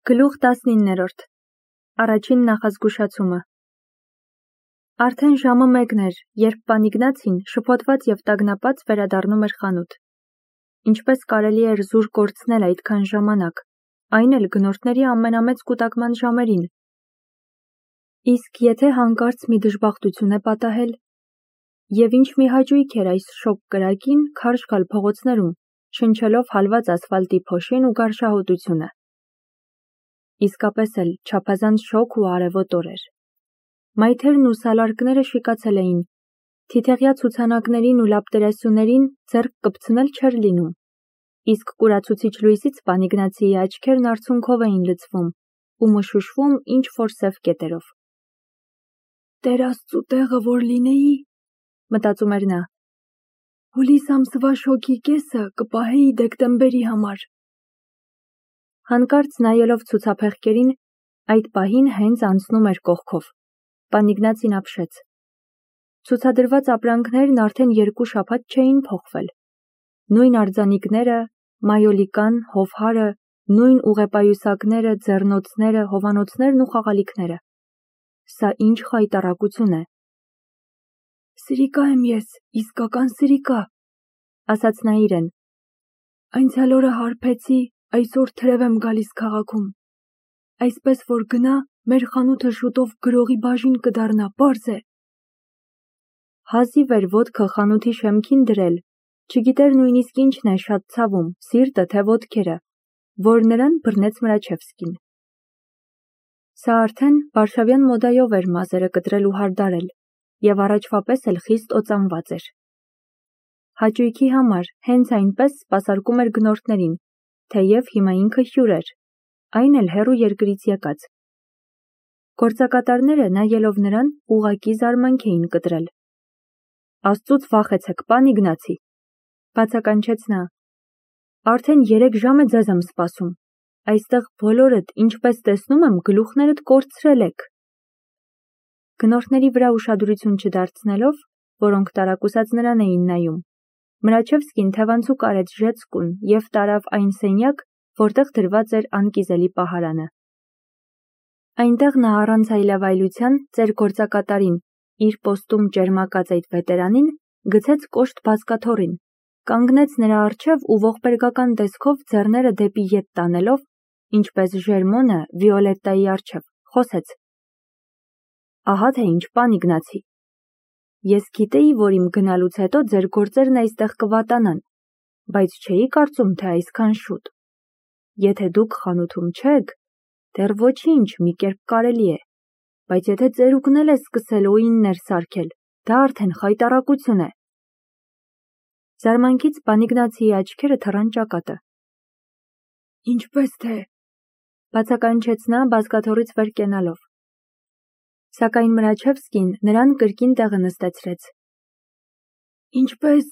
Գլուխ 19-րդ Առաջին նախազգուշացումը Արդեն ժամը 1 էր, երբ պան Իգնացին շփոթված և տագնապած վերադառնում էր խանութ։ Ինչպես կարելի էր զուր կորցնել այդքան ժամանակ, այն էլ գնորդների ամենամեծ կուտակման ժամերին։ Իսկ եթե հանկարծ մի դժբախտություն է պատահել, և ինչ մի հաճույք էր այս շոգ կրակին քարշ գալ փողոցներում, շնչելով հալված ասֆալտի փոշին ու գարշահոտությունը։ Իսկապես էլ չափազանց շոգ ու արևոտ օր էր։ Մայթերն ու սալարկները շիկացել էին, թիթեղյա ցուցանակներին ու լապտերասյուներին ձեռք կպցնել չէր լինում, իսկ կուրացուցիչ լույսից պան Իգնացիի աչքերն արցունքով էին լցվում ու մշուշվում ինչ-որ սև կետերով։ «Տեր Աստծու տեղը որ լինեի, մտածում էր նա, հուլիս ամսվա շոգի կեսը կպահեի դեկտեմբերի համար»։ Հանկարծ նայելով ցուցափեղկերին, այդ պահին հենց անցնում էր կողքով։ Պան Իգնացին ապշեց։ Ցուցադրված ապրանքներն արդեն 2 շաբաթ չէին փոխվել։ Նույն արձանիկները, մայոլիկան, հովհարը, նույն ուղեպայուսակները, ձեռնոցները, հովանոցներն ու խաղալիքները։ Սա ինչ խայտառակություն է։ «Սրիկա եմ ես, իսկական սրիկա», ասաց նա իրեն։ «Անցյալ օրը հարբեցի, այսօր թրև եմ գալիս քաղաքում։ Այսպես որ գնա, մեր խանութը շուտով գրողի բաժին կդառնա, պարզ է»։ Հազիվ էր ոտքը խանութի շեմքին դրել, չգիտեր նույնիսկ ինչն է շատ ցավում, սիրտը թե ոտքերը, որ նրան բռնեց Մրաչևսկին։ Սա արդեն վարշավյան մոդայով էր մազերը կտրել ու հարդարել, և առաջվա պես էլ խիստ օծանված էր։ Հաճույքի համար հենց այնպես սպասարկում էր գնորդներին, թեև հիմա ինքը հյուր էր, այն էլ հեռու երկրից եկած։ Գործակատարները, նայելով նրան, ուղղակի զարմանք էին կտրել։ «Աստծուց վախեցեք, պան Իգնացի», բացականչեց նա։ «Արդեն 3 ժամ է ձեզ եմ սպասում։ Այստեղ բոլորդ, ինչպես տեսնում եմ, գլուխներդ կորցրել եք»։ Գնորդների վրա ուշադրություն չդարձնելով, որոնք տարակուսած նրան էին նայում, Մրաչևսկին թևանցուկ արեց ժեցկուն և տարավ այն սենյակ, որտեղ դրված էր անկիզելի պահարանը։ Այնտեղ նա առանց այլևայլության ծեր գործակատարին, իր պոստում ճերմակած այդ վետերանին, գցեց կոշտ բազկաթոռին, կանգնեց նրա առջև ու ողբերգական տեսքով ձեռները դեպի ետ տանելով, ինչպես Ժերմոնը Վիոլետտայի առջև, խոսեց. «Ահա թե ինչ, պան Իգնացի, ես գիտեի, որ իմ գնալուց հետո ձեր գործերն այստեղ կվատանան, բայց չէի կարծում, թե այսքան շուտ։ Եթե դուք խանութում չեք, դեռ ոչինչ, մի կերպ կարելի է, բայց եթե ծերուկն էլ է սկսել օիններ սարքել, դա արդեն խայտառակություն է»։ Զարմանքից պան Իգնացիի աչքերը թռան ճակատը։ «Ինչպես թե», բացականչեց նա բազկաթոռից վեր կենալով։ Սակայն Մրաչևսկին նրան կրկին տեղը նստեցրեց։ «Ինչպես,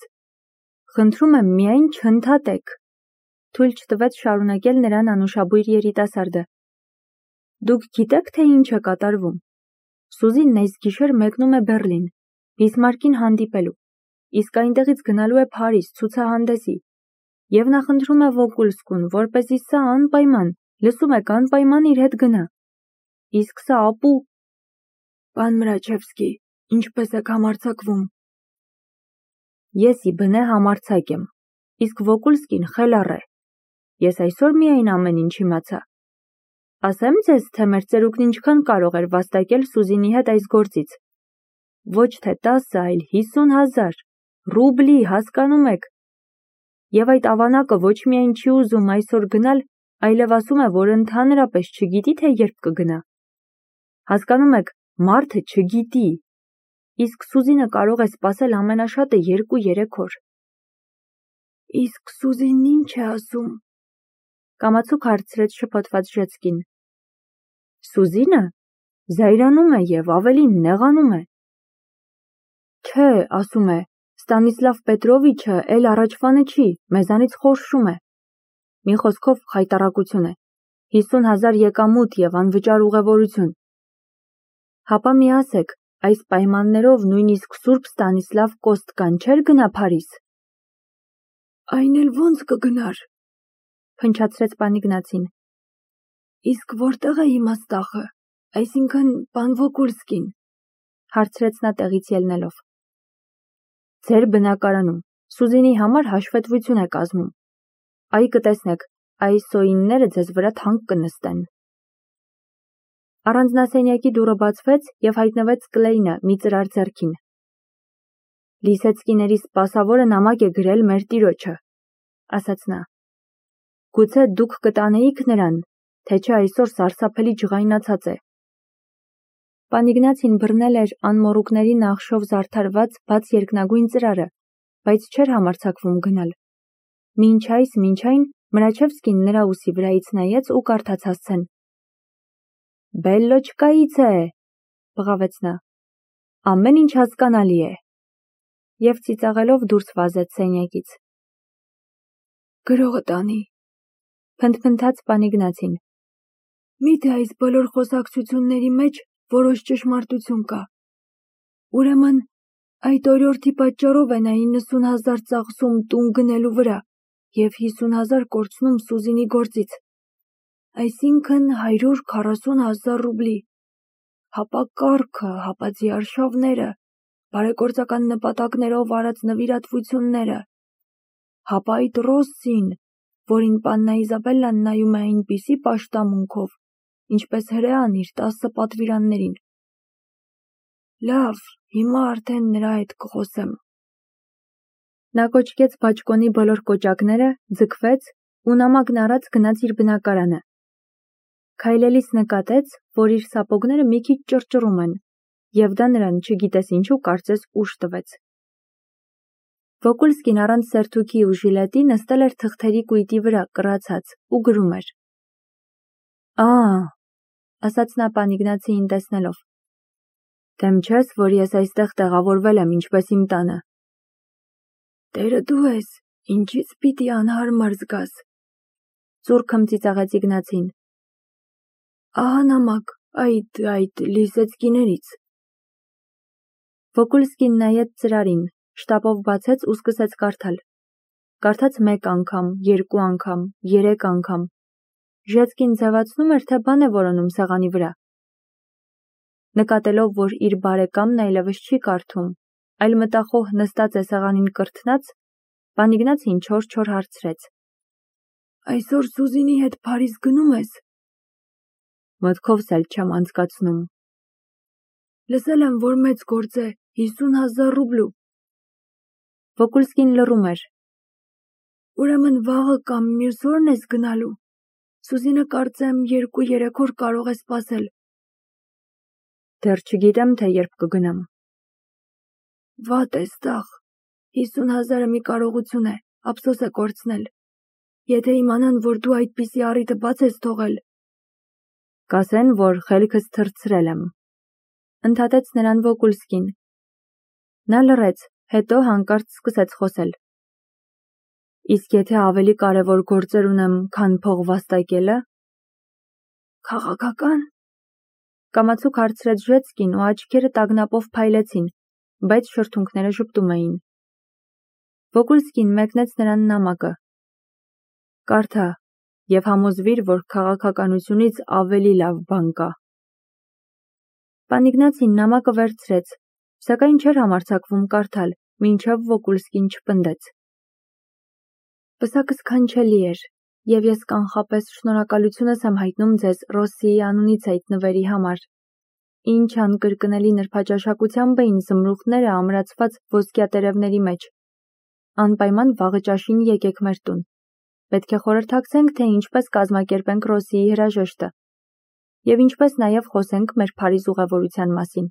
խնդրում եմ միայն չընդհատեք», թույլ չտվեց շարունակել նրան անուշաբույր երիտասարդը։ «Դուք գիտեք, թե ինչ է կատարվում։ Սուզինն այս գիշեր մեկնում է Բեռլին, Բիսմարկին հանդիպելու, իսկ այնտեղից գնալու է Փարիզ ցուցահանդեսի, և նա խնդրում է Վոկուլսկուն, որպեսզի սա անպայման, լսում եք, անպայման իր հետ գնա։ Իսկ սա ապու»։ «Պան Մրաչևսկի, ինչպես եք համարձակվում»։ «Ես ի բնե համարձակ եմ, իսկ Վոկուլսկին խելառ է։ Ես այսօր միայն ամեն ինչ իմացա։ Ասեմ ձեզ, թե մեր ծերուկն ինչքան կարող էր վաստակել Սուզինի հետ այս գործից։ Ոչ թե 10, այլ 50,000 ռուբլի, հասկանում եք։ Եվ այդ ավանակը ոչ միայն չի ուզում այսօր գնալ, այլև ասում է, որ ընդհանրապես չգիտի, թե երբ կգնա։ Հասկանում եք, մարդը չգիտի։ Իսկ Սուզինը կարող է սպասել ամենաշատը 2-3 օր»։ «Իսկ Սուզինն ինչ է ասում», կամացուկ հարցրեց շփոթված Ժեցկին։ «Սուզինը զայրանում է և ավելին նեղանում է։ Չէ, ասում է, Ստանիսլավ Պետրովիչը էլ առաջվանը չի, մեզանից խորշում է։ Մի խոսքով խայտառակություն է, 50,000 եկամուտ և անվճար ուղևորություն։ Հապա մի ասեք, այս պայմաններով նույնիսկ Սուրբ Ստանիսլավ Կոստկան չէր գնա Փարիզ»։ «Այն էլ ոնց կգնար», փնչացրեց պան Իգնացին։ Իսկ որտեղ է իմ աստաղը, այսինքն պան Վոկուլսկին, հարցրեց նա տեղից ելնելով։ Ձեր բնակարանում, Սուզինի համար հաշվետվություն է կազմում։ Այ կտեսնեք, այս սոինները ձեզ վրա թանկ կնստեն։ Առանձնասենյակի դուռը բացվեց և հայտնվեց Կլեյնը մի ծրար ձեռքին։ Լիսեցկիների սպասավորը նամակ է գրել մեր տիրոջը, ասաց նա։ Գուցե դուք կտանեիք նրան, թե չէ այսօր սարսափելի ջղայնացած է։ Պան Իգնացին բռնել էր անմոռուկների նախշով զարդարված բաց երկնագույն ծրարը, բայց չէր համարձակվում գնալ։ Մինչ այն Մրաչևսկին նրա ուսի վրայից նայեց ու կարդաց հասցեն։ Բելլոչկայից է, բղավեց նա։ Ամեն ինչ հասկանալի է։ Եվ ծիծաղելով դուրս վազեց սենյակից։ Գրողը տանի, փնթփնթաց պան Իգնացին։ Միթե այս բոլոր խոսակցությունների մեջ որոշ ճշմարտություն կա։ Ուրեմն այդ օրիորդի պատճառով է նա 90,000 ծախսում տուն գնելու վրա և 50,000 կորցնում Սուզինի գործից, այսինքն 140,000 ռուբլի, հապա կառքը, հապա ձիարշավները, բարեգործական նպատակներով արած նվիրատվությունները, հապա այդ Ռոսսին, որին պաննա Իզաբելլան նայում է այնպիսի պաշտամունքով, ինչպես հրեան իր 10 պատվիրաններին։ Լավ, հիմա արդեն նրա հետ կխոսեմ։ Նա կոչկեց բաճկոնի բոլոր կոճակները, ձգվեց ու նամակն առած գնաց իր բնակարանը։ Քայլելիս նկատեց, որ իր սապոգները մի քիչ ճռճռում են, և դա նրան չգիտես ինչու կարծես ուժ տվեց։ Վոկուլսկին առանց սերթուքի ու ժիլետի նստել էր թղթերի կույտի վրա կռացած ու գրում էր։ Ասաց նա պան Իգնացիին տեսնելով։ Դեմ չես, որ ես այստեղ տեղավորվել եմ ինչպես իմ տանը։ Տերը դու ես, ինչից պիտի անհարմար զգաս։ Ծուրքմ ծիծաղեց Իգնացին։ Ահա նամակ, այդ լիսեցկիներից։ Վոկուլսկին նայեց ծրարին, շտապով բացեց ու սկսեց կարդալ։ Կարդաց 1 անգամ, 2 անգամ, 3 անգամ։ Ժեցկին ձևացնում էր, թե բան է որոնում սեղանի վրա։ Նկատելով, որ իր բարեկամն այլևս չի կարդում, այլ մտախոհ նստած է սեղանին կրթնած, պան Իգնացին չոր հարցրեց. Այսօր Սուզինի հետ Փարիզ գնում ես։ Մտքովս էլ չեմ անցկացնում։ Լսել եմ, որ մեծ գործ է, 50,000 ռուբլու։ Վոկուլսկին լռում էր։ Ուրեմն վաղը կամ մյուս օրն ես գնալու։ Սուզինը կարծեմ 2-3 օր կարող է սպասել։ Դեռ չգիտեմ, թե երբ կգնամ։ Վատ ես տաղ, 50,000-ը մի կարողություն է, ափսոս է կորցնել։ Եթե իմանան, որ դու այդպիսի առիթը բաց ես թողել։ Կասեն, որ խելքս թռցրել եմ, ընդհատեց նրան Վոկուլսկին։ Նա լռեց, հետո հանկարծ սկսեց խոսել։ Իսկ եթե ավելի կարևոր գործեր ունեմ, քան փող վաստակելը։ Քաղաքական։ Կամացուկ հարցրեց Ժեցկին ու աչքերը տագնապով փայլեցին, բայց շրթունքները ժպտում էին։ Վոկուլսկին մեկնեց նրան նամակը։ Կարդա և համոզվիր, որ քաղաքականությունից ավելի լավ բան կա։ Պան Իգնացին նամակը վերցրեց, սակայն չէր համարձակվում կարդալ, մինչև Վոկուլսկին չպնդեց։ Պսակս քանչելի էր, և ես կանխապես շնորհակալությունս եմ հայտնում ձեզ Ռոսսիի անունից այդ նվերի համար։ Ինչ անկրկնելի նրբաճաշակությամբ էին զմրուխտները ամրացված ոսկյա տերևների մեջ։ Անպայման վաղը ճաշին եկեք մեր տուն։ Պետք է խորհրդակցենք, թե ինչպես կազմակերպենք Ռոսսիի հրաժեշտը և ինչպես նաև խոսենք մեր Փարիզ ուղևորության մասին։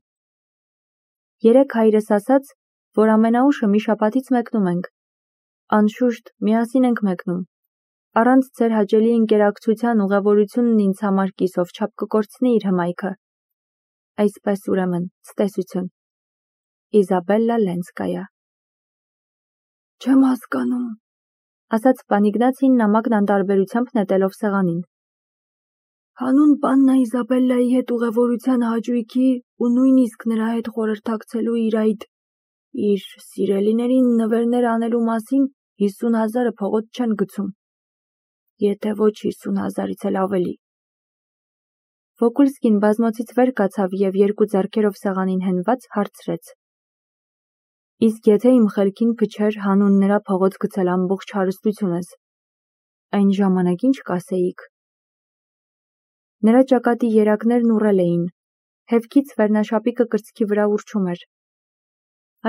Երեկ հայրս ասաց, որ ամենաուշը մի շաբաթից մեկնում ենք։ Անշուշտ, միասին ենք մեկնում։ Առանց ձեր հաճելի ընկերակցության ուղևորությունն ինձ համար կիսով չափ կկորցնի իր հմայքը։ Այսպես ուրեմն, ցտեսություն։ Իզաբելլա Լենսկայա։ Չեմ հասկանում, ասաց պան Իգնացին նամակն անտարբերությամբ նետելով սեղանին։ Հանուն պաննա Իզաբելլայի հետ ուղևորության հաճույքի ու նույնիսկ նրա հետ խորհրդակցելու իր սիրելիներին նվերներ անելու մասին 50,000-ը փողոց չեն գցում։ Եթե ոչ 50,000-ից էլ ավելի։ Վոկուլսկին բազմոցից վեր կացավ և երկու ձեռքերով սեղանին հենված հարցրեց. Իսկ եթե իմ խելքին փչեր հանուն նրա փողոց գցել ամբողջ հարստությունս, այն ժամանակ ինչ կասեիք։ Նրա ճակատի երակներն ուռել էին, հևքից վերնաշապիկը կրծքի վրա ուռչում էր։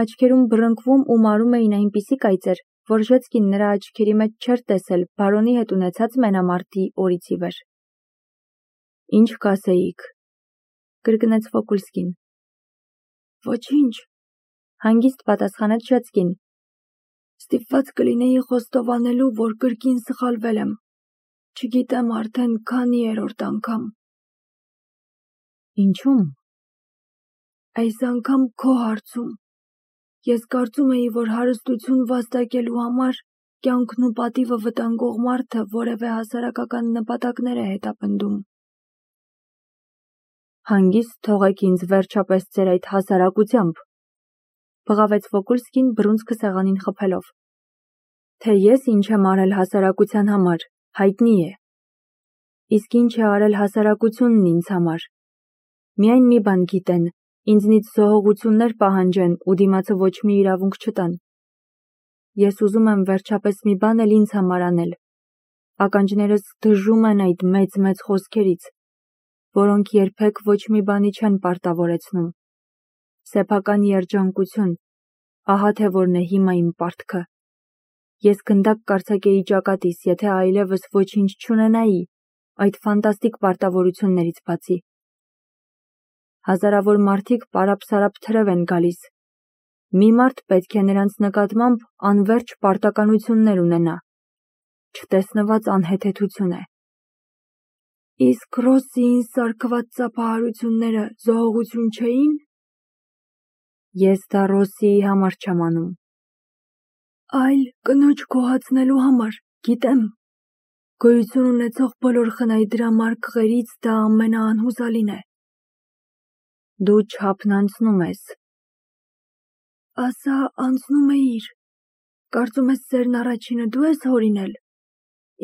Աչքերում բռնկվում ու մարում էին այնպիսի կայծեր, որ Ժեցկին նրա աչքերի մեջ չէր տեսել բարոնի հետ ունեցած մենամարտի օրից ի վեր։ Ինչ կասեիք, կրկնեց Վոկուլսկին։ Ոչինչ, հանգիստ պատասխանեց Ժեցկին։ Ստիպված կլինեի խոստովանելու, որ կրկին սխալվել եմ։ Չգիտեմ արդեն քանի երրորդ անգամ։ Ինչու՞մ։ Այս անգամ քո հարցում։ Ես կարծում էի, որ հարստություն վաստակելու համար կյանքն ու պատիվը վտանգող մարդը որևէ հասարակական նպատակներ է հետապնդում։ Հանգիստ թողեք ինձ վերջապես ձեր այդ հասարակությամբ, բղավեց Վոկուլսկին բռունցքը սեղանին խփելով։ Թե ես ինչ եմ արել հասարակության համար, հայտնի է։ Իսկ ինչ է արել հասարակությունն ինձ համար։ Միայն մի բան գիտեն, ինձնից զոհողություններ պահանջեն ու դիմացը ոչ մի իրավունք չտան։ Ես ուզում եմ վերջապես մի բան էլ ինձ համար անել։ Ականջներս դժում են այդ մեծ խոսքերից, որոնք երբեք ոչ մի բանի չեն պարտավորեցնում։ Սեփական երջանկություն, ահա թե որն է հիմա իմ պարտքը։ Ես գնդակ կարձակեի ճակատիս, եթե այլևս ոչինչ չունենայի այդ ֆանտաստիկ պարտավորություններից բացի։ Հազարավոր մարդիկ պարապ-սարապ թրև են գալիս։ Մի մարդ պետք է նրանց նկատմամբ անվերջ պարտականություններ ունենա։ Չտեսնված անհեթեթություն է։ Իսկ Ռոսսիին սարքված ծափահարությունները զոհողություն չէին։ Ես դա Ռոսսիի համար չեմ անում։ Այլ կնոջ գոհացնելու համար, գիտեմ։ Գոյություն ունեցող բոլոր խնայդրամար քղերից դա ամենաանհուսալին է։ Դու չափն անցնում ես։ Ասա անցնում էիր։ Կարծում ես սերն առաջինը դու ես հորինել։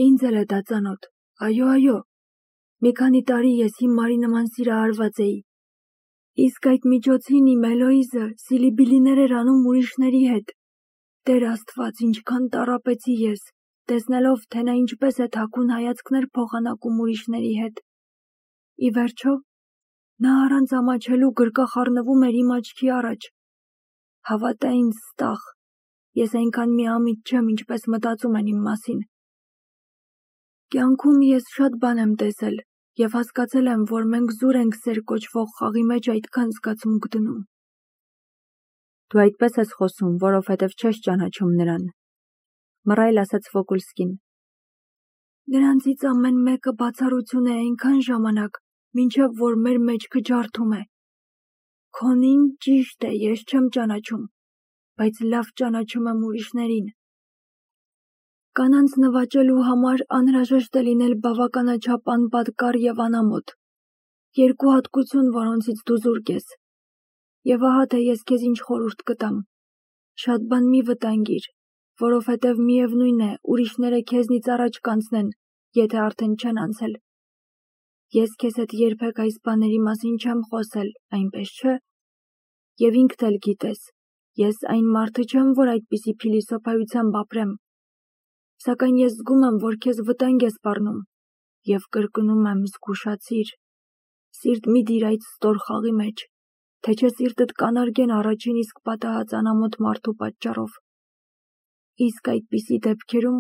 Ինձ էլ է դա ծանոթ։ Այո։ Մի քանի տարի ես հիմարի նման սիրահարված էի։ Իսկ այդ միջոցին իմ Էլոիզը սիլիբիլիներ էր անում ուրիշների հետ։ Տեր Աստված, ինչքան տառապեցի ես, տեսնելով, թե նա ինչպես է թաքուն հայացքներ փոխանակում ուրիշների հետ։ Ի վերջո, նա առանց ամաչելու գրկախառնվում էր իմ աչքի առաջ։ Հավատա ինձ, Ստախ, ես այնքան միամիտ չեմ, ինչպես մտածում են իմ մասին։ Կյանքում ես շատ բան եմ տեսել և հասկացել եմ, որ մենք զուր ենք սեր կոչվող խաղի մեջ այդքան զգացմունք դնում։ Դու այդպես ես խոսում, որովհետև չես ճանաչում նրան, մռայլ ասաց Վոկուլսկին։ Նրանցից ամեն մեկը բացառություն է այնքան ժամանակ, մինչև որ մեր մեջքը ջարդում է։ Քոնին ճիշտ է, ես չեմ ճանաչում, բայց լավ ճանաչում եմ ուրիշներին։ Կանանց նվաճելու համար անհրաժեշտ է լինել բավականաչափ անպատկար և անամոթ, երկու հատկություն, որոնցից դու զուրկ ես։ Եվ ահա թե ես քեզ ինչ խորհուրդ կտամ. շատ բան մի վտանգիր, որովհետև միևնույն է, ուրիշները քեզնից առաջ կանցնեն, եթե արդեն չեն անցել։ Ես քեզ հետ երբեք այս բաների մասին չեմ խոսել, այնպես չէ։ Եվ ինքդ էլ գիտես, ես այն մարդը չեմ, որ այդպիսի փիլիսոփայությամբ ապրեմ։ Սակայն ես զգում եմ, որ քեզ վտանգ է սպառնում, և կրկնում եմ, զգուշացիր, սիրտ մի դիր այդ ստոր խաղի մեջ, թե չէ սիրտդ կանարգեն առաջին իսկ պատահած անամոթ մարդու պատճառով։ Իսկ այդպիսի դեպքերում,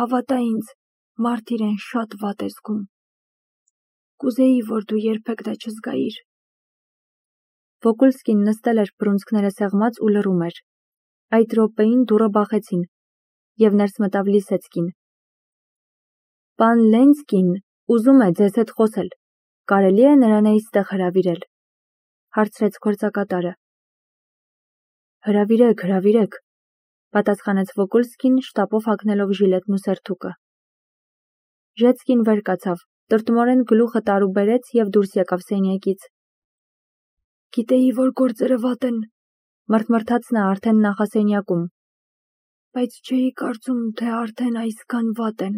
հավատա ինձ, մարդ իրեն շատ վատ է զգում։ Կուզեի, որ դու երբեք դա չզգայիր։ Վոկուլսկին նստել էր բռունցքները սեղմած ու լռում էր։ Այդ րոպեին դուռը բախեցին, և ներս մտավ Լիսեցկին։ Պան Լենցկին ուզում է ձեզ հետ խոսել, կարելի է նրան այստեղ հրավիրել, հարցրեց գործակատարը։ Հրավիրեք, պատասխանեց Վոկուլսկին շտապով հագնելով ժիլետն ու սերթուկը։ Ժեցկին վեր կացավ, տրտմորեն գլուխը տարուբերեց և դուրս եկավ սենյակից։ Գիտեի, որ գործերը վատ են, մռթմռթաց նա արդեն նախասենյակում, բայց չէի կարծում, թե արդեն այսքան վատ են։